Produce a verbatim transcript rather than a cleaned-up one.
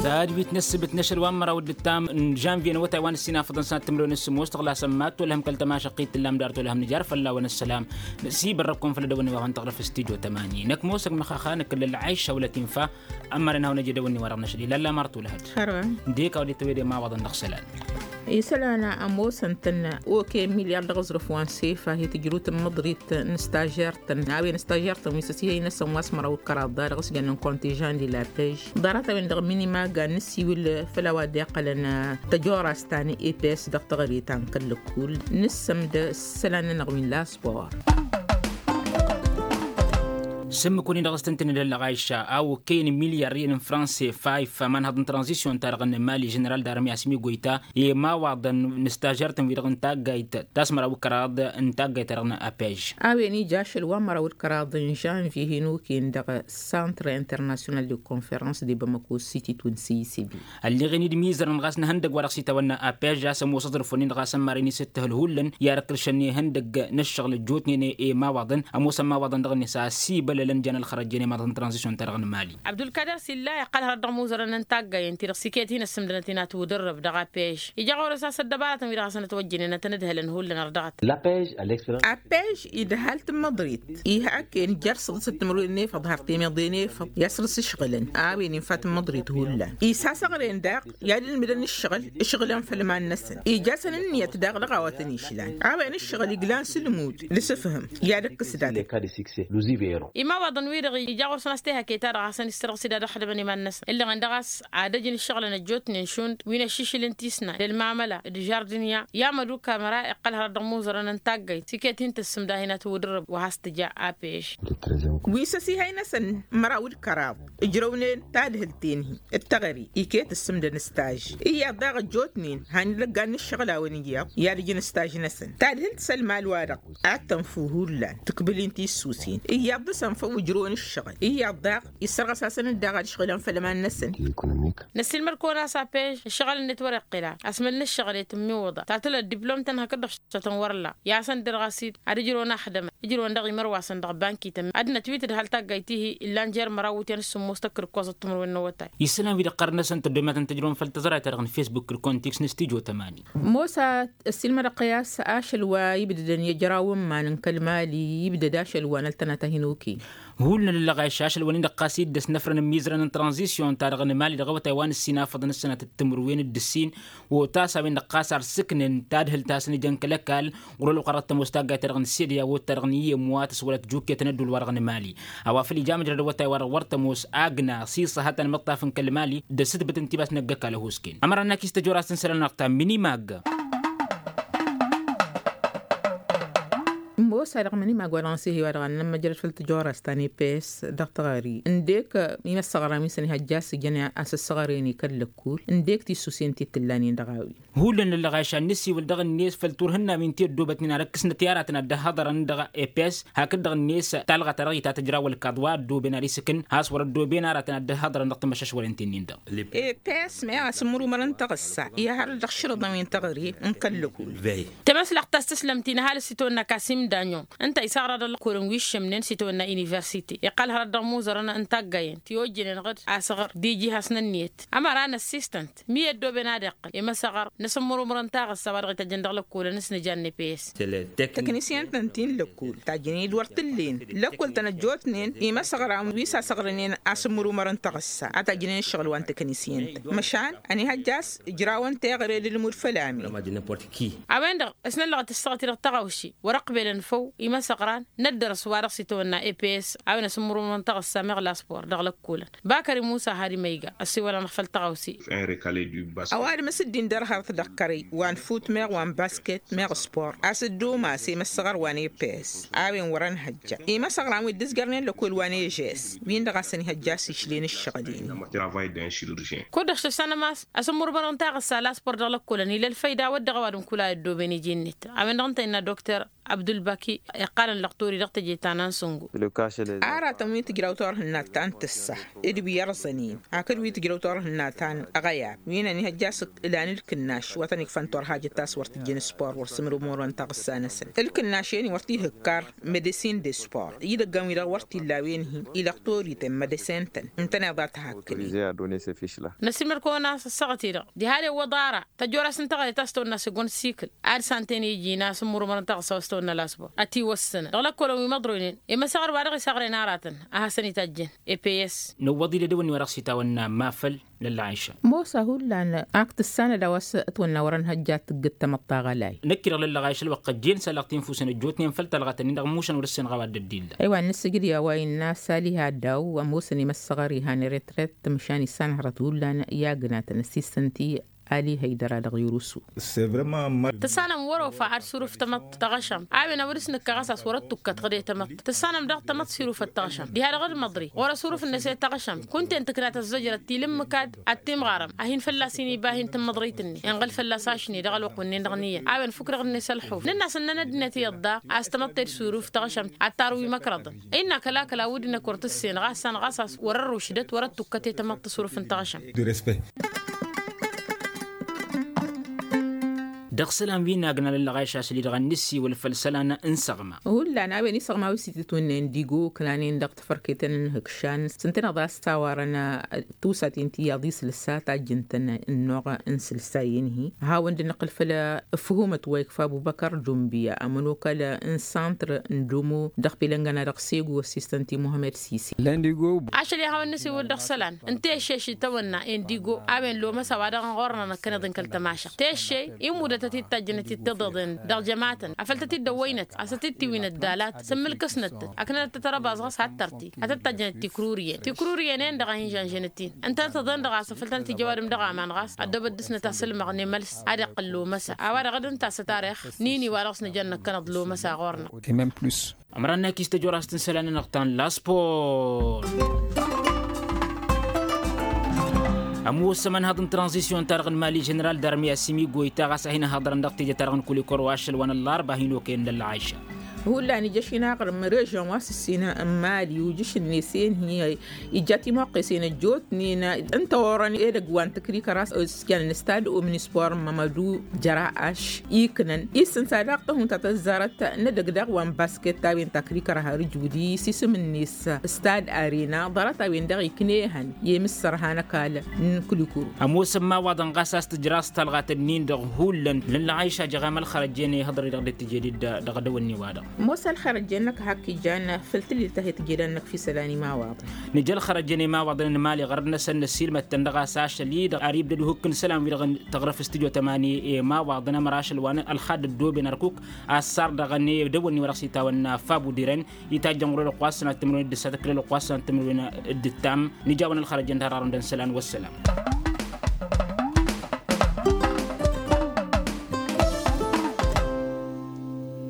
Tadwit n-ǝssǝbǝt n-ašăl wa n-măraw d-ǝttam n-žănvye n-awătay wa n-ǝssin afăḍăn sănat timǝrwen s-sǝmmos tăɣlasăn mad-tolhăm kăl-tămašăqqit tǝllam dar tolhăm nǝjar fălla-wăn ăssălam. Năsiibărrăkkum făll-ăddăwănni wa hăn-tăɣrǝf s-tijo tămani năkk mosăg măxaxa năkk ǝllăl ɣayša wăla t-infa. Ămmărăn hawăn-ăj edăwănni wa dăɣ-năšăl ilallam ar tolhăd. Hărwa. Dd-e-k a-wa dd-tăwede imawaḍăn dăɣ-isălan. Isălan a ămoosăn-tăn oke milyar dăɣ-aẓrǝf wa n-sefa hi-tǝjrut n-măḍrit n-stažert-tăn a-wen stažert-tăn wi s-ăsihăy-năsăn wa s-măraw d-kăraḍ da dăɣ-s jănnen kontižan di la pej. Ḍarăt-a-wen dăɣ-minimaga n-nǝsiwǝl făll-a-wa dd-iqqălăn tăjorast ta n-eps dăɣ-teɣăre ta n-kăl-lăkkul. Nǝssăm d-isălan-nănăɣ wi n-laspor. S-ǝmmǝk-win-dăɣ s-tăn-tăn-dd-ăllăɣ ayša a okăyăn milyar iyyăn n-franse fayf amanhăḍ n-tranzisyon-ta-dăɣ n-mali ženeral d-armi asmi goyta i-imawaḍăn n-stažărtăn-wi-dăɣ n-taggayt ta s-măraw d-kăraḍ n-taggayt-ta-dăɣ n-apej. A-wen ija ašăl wa n-măraw d-kăraḍ n-žănvye hin-okăyăn dăɣ-santr internasyonal de konferans de bamako siti tun seyisǝbi. Ălleɣen-dd imizărăn ɣas n-ehăndăgg wa dăɣ-s itawănna apej a-s ămoos aẓrǝf-wǝnnin-dăɣ a-s ămmaren-i s-ǝttǝhǝl hullan i-ad-ăkrǝšăn ehăndăgg n-ǝššăɣǝl ăjjootnen i-imawaḍăn ămoosăn imawaḍăn dăɣ-net a ăsibălălăn jan ălxărăjjen i-imaḍăt n-tranzisyon-ta-dăɣ n-mali. Abdulkader s-illa iqqăl hărăt dăɣ-imuzărăn n-taggayăn-ti-dăɣ s-iket hin-ǝssǝmdănăt inat wǝdǝrrǝb dăɣ-apej ija ɣur-s a-s ăddăbarătăn-wi-dăɣ hasăn-ătwăjjăn enăt ănǝdhălăn hullan ărdăɣăt. Apej idhal tǝmmăḍrit. Ihak-en jer-săḍǝsăt timǝrwen n-efăḍ har temeḍe n-efăḍ i-asrǝs ǝšɣǝlăn a-wen infa tǝmmăḍrit hullan isasăɣren daɣ i-ad-ǝlmǝdăn ǝššăɣǝl. Ǝšɣǝlăn făll-iman-năsăn ija-săn ǝnniyăt daɣ dăɣ-a-wa tăn-išlan a-wen ǝššăɣǝl iglan s-ǝlmud d-asǝfhǝm. I-ad-ǝkkǝs datăt. Imawaḍăn-wi-dăɣ ija ɣur-săn a-s tehăke-ta-dăɣ hasăn-issărɣǝs-dd ad-ăxdămăn iman-năsăn ǝllăɣen daɣ a-s ad-ăj n-ǝššăɣǝlăn ăjjootnen šund wi n-ăššišǝl n-tisna d-ălmamăla d-žardǝnya i-amăduk amăra iqqăl hărăt dăɣ-imuzărăn n-taggayt s-iket hin-tǝssǝm dahinăt wǝdǝrrǝb wa has-tǝja. Apeš. Wi s-ăsihăy-năsăn măraw d-kăraḍ ǝjrăwnen tadhǝlt-en-hi d-teɣăre iket ǝssǝmdăn ǝstaž iyyăḍ daɣ ăjjootnen han ilăggan n-ǝššăɣǝl a-wen iyyăḍ i-ad-ǝjǝn ǝstaž-năsăn tadhǝlt s-ălmal-wa-dăɣ ad-tănfu hullan tǝkbǝl-in tissusen iyyăḍ dăɣ-s ănfăw ǝjrăwăn ǝššăɣǝl iyyăḍ daɣ issărɣăs-asăn-dd daɣ ad-ǝšɣǝlăn făll-iman-năsăn. Năssiilmăd-kăwăn a-s apej ǝššăɣǝl-net wăr-iqqǝla asmăl n-ǝššăɣǝl i-tǝmmiwǝḍa tatăl ăddiplom-tăn hakd-dăɣ šătăn wăr-illa i-asăn-dd-dăɣ a-s-dd ad-ǝjrăwăn axdămăn ǝjrăwăn dăɣ-imărwasăn dăɣ-bankităn ad-nătwit d-hal taggayt-ihi illan jer-măraw wutyan s-sǝmmos tăkkǝrkosăt timǝrwen n-awătay. Isălan wi dd-iqqărăn-năsăn tăddomatăn tǝjrăwăn făll-tăẓrayt-ta-dăɣ n-fesbuk d-kontiks n-stijo tămani. Mosa ăssiilmădăɣ-t i-a-s ašăl wa ibdădăn i-ăjrawăn iman n-kăl-mali ibdăd ašăl wa n-ăltănata hin-okăy. Hullan ǝllăɣ a išašăl wa n-indăɣ ɣas iddăs n-afrăn n-imizărăn n-tranzisyon-ta-dăɣ n-mali dăɣ-awătay wa n-ǝssin afăḍăn ǝssănat d-timǝrwen d-ǝssin. Otasa-wen-dăɣ ɣas ar sǝknen tadhǝlt a-s n-ija n-kăl-ăkall ɣur-ălwăqq-a-dăɣ tămoos taggayt-ta-dăɣ n-sediya wot-ta-dăɣ n-iyyăm wa tăswălăt jukket n-ădduul-wa-dăɣ n-mali. A-wa făl ija măjrăd awătay-wa-dăɣ wăr tămoos agna s-iṣăhătăn imǝṭṭaf n-kăl-mali d-ăssǝtbǝt n-tibas n-ăgg-ăkall ăhusken ămăra n-akis tăjorast n-isălan-năɣ ta minimag. Ămoos-a-dăɣ mănimag wa dăɣ-nǝsǝhhi wa dăɣ-nămmăjrăd făll-tăjorast ta n-epes dăɣ-teɣări ǝndek imăssăɣra wi n-săn ihăjja a-s ǝjăn a-s ăssăɣăren i-kăl-lăkkul ǝndek tissusen ti t-ǝllanen dăɣ-a-wen. Hullan ǝllăɣ a išan nǝsiwǝl dăɣ-net făll-turhǝnna wi n-ti ăddoobătnen ad-ǝkkǝsnăt i-aratăn ad-dd-ăhhăḍărăn dăɣ-epes hakd-dăɣ-net talɣa-ta-dăɣ itatăjraw ălkaḍ wa ăddooben ad-isǝkǝn has-wăr-ăddooben aratăn ad-dd-ăhhăḍărăn dăɣ-timăššăšwălen-ti-nin-dăɣ. Epes meɣ asǝmmărumăr n-taɣǝssa ihăr dăɣ-išrǝḍăn wi n-teɣăre n-kăl-lăkul. Tamăslăɣt ta s-tǝslăm-t-in ăhalǝs s-itawănna kasim danyon ǝnta isăɣra dăɣ-lăkkolăn wi ǝššămnen s-itawănna universite iqqăl hărăt dăɣ-imuzărăn n-taggayen ti ojjănen ɣǝd asăɣăr d-iji hasnăn niyăt ămăra n-assistant mi ăddooben ad-iqqǝl i-măsăɣăr n-asǝmmărumăr n-taɣǝssa wa dăɣ-itajjăn dăɣ-lăkkolăn s-nǝjan n-epes. Tăknǝsyăn-tăn ti n-lăkkol tajjănen-dd wăr t-ǝllen lăkkol-tăn ăjjootnen i-măsăɣran wi s-asăɣrănen asǝmmărumăr n-taɣǝssa a tajjănen ǝššăɣǝl wa n-tăknǝsyăn-tăn măšan ănihăjja a-s ǝjrawăn teɣăre d-ǝlmud făll-amin. A-wen-dăɣ ăsnăllăɣăt ǝssaɣăt-i-dăɣ tăɣawši wăr-ăqbelăn făw i-măsăɣran n-ăddărăs wa dăɣ-s itawănna eps a-wen asǝmmărumăr n-taɣǝssa meɣ laspor dăɣ-lăkkolăn bakări musa hari ma iga ăsiwăl-anăɣ făll-tăɣawse. Ăwadǝm s-dd-indăr hărăt dăɣ-kărăy wa n-fut meɣ wa n-basket meɣ spor a-s dd-umas i-măssăɣăr wa n-eps a-wen wăr-ănhăjja i-măsăɣran wi dd-ǝzjărnen lăkol wa n-ežes win-dăɣ a-s ănihăjja a-s išlen ǝššăɣǝl-in. Kud-dăɣ šăssanăm a-s asǝmmărmărăn taɣǝssa laspor dăɣ-lăkkolăn ila ălfăyda wăr dăɣ-ăwadǝm kula i-ăddooben iji-net a-wen-dăɣ ǝnta innă dokter. Abdulbaki iqqalăn lăqtori dăɣ-teje ta n-ansǝngu. Aratăn wi tǝjraw turhǝnna ta n-tǝssa d-wi irẓănen hakd wi tǝjraw turhǝnna ta n-aɣăyab wi-năn ihăjja a-s ǝlan ǝlkǝnnaš wa tăn-ikfăn turhajăt ta s-wăr tǝjjăn spor wăr sǝmrǝmurăn taɣǝssa-năsăn ǝlkǝnnaš-en-i wăr t-ihǝkkar medăsin de spor idăggan-wi-dăɣ wăr t-illa a-wen-hi ilăqtori-ten medăsen-tăn ǝntăneḍ a tăhakkănen. Năsǝlmăd-kăwăn a-s ăssaɣăt-i-dăɣ diha d-ewwăḍ ara tăjorasăn taɣăre ta s-tăwănna s-egg-wăn s-ikǝl ad-san-ten-iji n-asǝmmurǝmărăn taɣǝssa wa s-tăwănna lasbor ătiwăssănăn dăɣ-lăkkolăn wi măḍroynen i-măsăɣăr wa dăɣ-isăɣrăyăn aratăn a hasăn-itajjăn. Eps. Nǝwwăḍ-i d-edăwănni wa dăɣ-s itawănna mafăl n-ălɣayša. Mosa hullan ak tǝssanăd a-wa s-ătwănna wărăn hăjja tǝggǝd tamăḍt taɣălay. Năkk-i-dăɣ lăllăɣayša ălwăqq ăjjeen s-alăɣ tinfusen ăjjootnen făll-talɣatăn-in-dăɣ ǝmmušăn wăr-ǝssen ɣawa dd-illa. Ăywa n-nǝssǝjǝd i-a-wa innă a-s aliha daw-ămoosăn i-măssăɣăr ihan retret măšan issanhărăt hullan i-agǝnatăn ăssistăn-t-i. Ali hăydăra dăɣ-yurusu. Tǝssanăm wăr-ofa ad-surǝf tamăḍt taɣăšăm a-wen a wăr-s nǝkka ɣas a-s wăr-ăttukkăt ɣǝd i-tamăḍt tǝssanăm daɣ tamăḍt s-irufăt taɣăšăm diha-dăɣ d-măḍri ɣur-ăsurǝf-net i-taɣăšăm kunta-en tǝkna tăzzăjrăt tilǝmmǝk ad-timɣarăm a hin-fălla-s inibah i-tǝmmăḍrit-net inɣăl fălla-s ašni dăɣ-ălwăqq wǝnnin-dăɣ n-iyyăn a-wen fukk-dăɣ-net ălxuf nǝnn'-as ǝnnăn ăddinăt iyyăḍ daɣ a-s tamăḍt tedsurǝf taɣăšăm ad-tarǝw imăkrăḍăn. Innă kăla-kăla wǝdden-ăkk wăr t-ǝssen ɣas săn ɣas a-s wăr-ărrušdăt wăr-ăttukkăt i-tamăḍt tasrǝft n-taɣăšăm. Dăɣ-isălan wi n-agna lăllăɣayš a-s ǝli-dăɣ a nǝssiwǝl făll-isălan n-săɣma. Hullan a-wen isăɣma wi s-itǝtwǝnna indigo kăla-nen dăɣ-tafărketăn n-ihǝkšan s-ǝntăneḍ a-s tawarăn tusa ti n-tiyyăḍ isǝlsa tajjǝn-tăn ănnuɣ n-isǝlsa-en-hi. A hawăn-dd-nǝqqǝl făll-ǝfhumăt wa ikfa ăbubăkăr jumbiya ămănokal n-santr n-dumu dăɣ-pilăngăna dăɣ-segu ăssistăn-t-i muhămmăd sisi. Ašăl i-ad-hawăn-nǝsiwǝl dăɣ-isălan n-teššeš itawănna indigo a-wen lomăsa wa dăɣ-n ɣur-nănăkkăneḍ n-kăl-tămašăɣt teššey immudăt a t-dd-tajjănăt d-tiḍeḍen dăɣ-jămatăn afăl tăt-dd-ăwwăynăt a-s tăt-dd-tiwinăt dalat s-ǝmmǝlkăsnăt-tăt ăknănăt-tăt ărăbaẓ ɣas had-tărti ad-tăt-tajjănăt tikrurǝyăn tikrurǝyăn-en-dăɣ a hin-žănžănăt-in ǝntănăt-tăḍăn-dăɣ a-s afăl tăn-tijăwadǝm dăɣ-aman ɣas ăddoobăt dăɣ-snăt asǝlmăɣ n-emăls ad-iqqǝl lomăsa a-wa-dăɣ d-ǝnta a-s ătarix n-ini wa dăɣ-s nǝjăn năkkănăḍ lomăsa ɣur-năɣ. Ămăra n-akis tăjorastăn isălan-nănăɣ ta n-laspor. Ămoosăm ănhăḍ n-tranzisyon-ta-dăɣ n-mali ženeral darmi asimi goyta ɣas a hin-ăhhăḍărăn dăɣ-teje-ta-dăɣ n-kulikor wa ašăl wa n-ăllarba a hin-okăyăn d-ălɣayša. Hullan ija ašinaɣrǝm režyon wa s-ǝssin n-mali ujǝš-net i-en-hi ija timoqqesen ăjjootnen n-tawărăn edăgg wa n-tǝkrikăr a-s ǝskănăn stad omnispor n-mămădu jăra aš iknăn isǝnsa daɣ tăhunta tăzzarăt n-edăgg daɣ wa n-basket a-wen takrikăra har ǝjwǝd-i s-isǝm-net stad arena ḍarăt a-wen-dăɣ iknehăn i-imǝssărha n-ăkall n-kulikuru. Ămoosăm imawaḍăn ɣas a-s tǝjraẓ talɣat-nin-dăɣ hullan lăllăɣayša jăɣam ălxărăjjen ihăḍăr-i-dăɣ dd-tǝjed-dd dăɣ-edăwănni-wa-dăɣ. Ămoos ălxărăjjen-năk hak ijan făll-tǝlil ta he-tǝjed-năk fi isălan imawaḍăn. Nǝja ălxărăjjen imawaḍăn n-mali ɣărăt-năsăn năssiilmăd-tăn dăɣ-a-s ašăl-i-dăɣ ar ibdăd uhǝkk n-isălan-wi-dăɣ n-tăɣrǝf s-tǝjo tămani imawaḍăn ămăra ašăl wa n-ălxad ăddooben ărkuk. Assar dăɣ-edăwănni wa dăɣ-s itawănna fabudiren itajjăn ɣur-elăqq wa s-sănat timǝrwen d-ǝssat ǝkkǝl elăqq wa s-sănat timǝrwen d-ǝttam. Nǝja a-wen ălxărăjjen d-hararăn dăɣ-isălan wăssălam.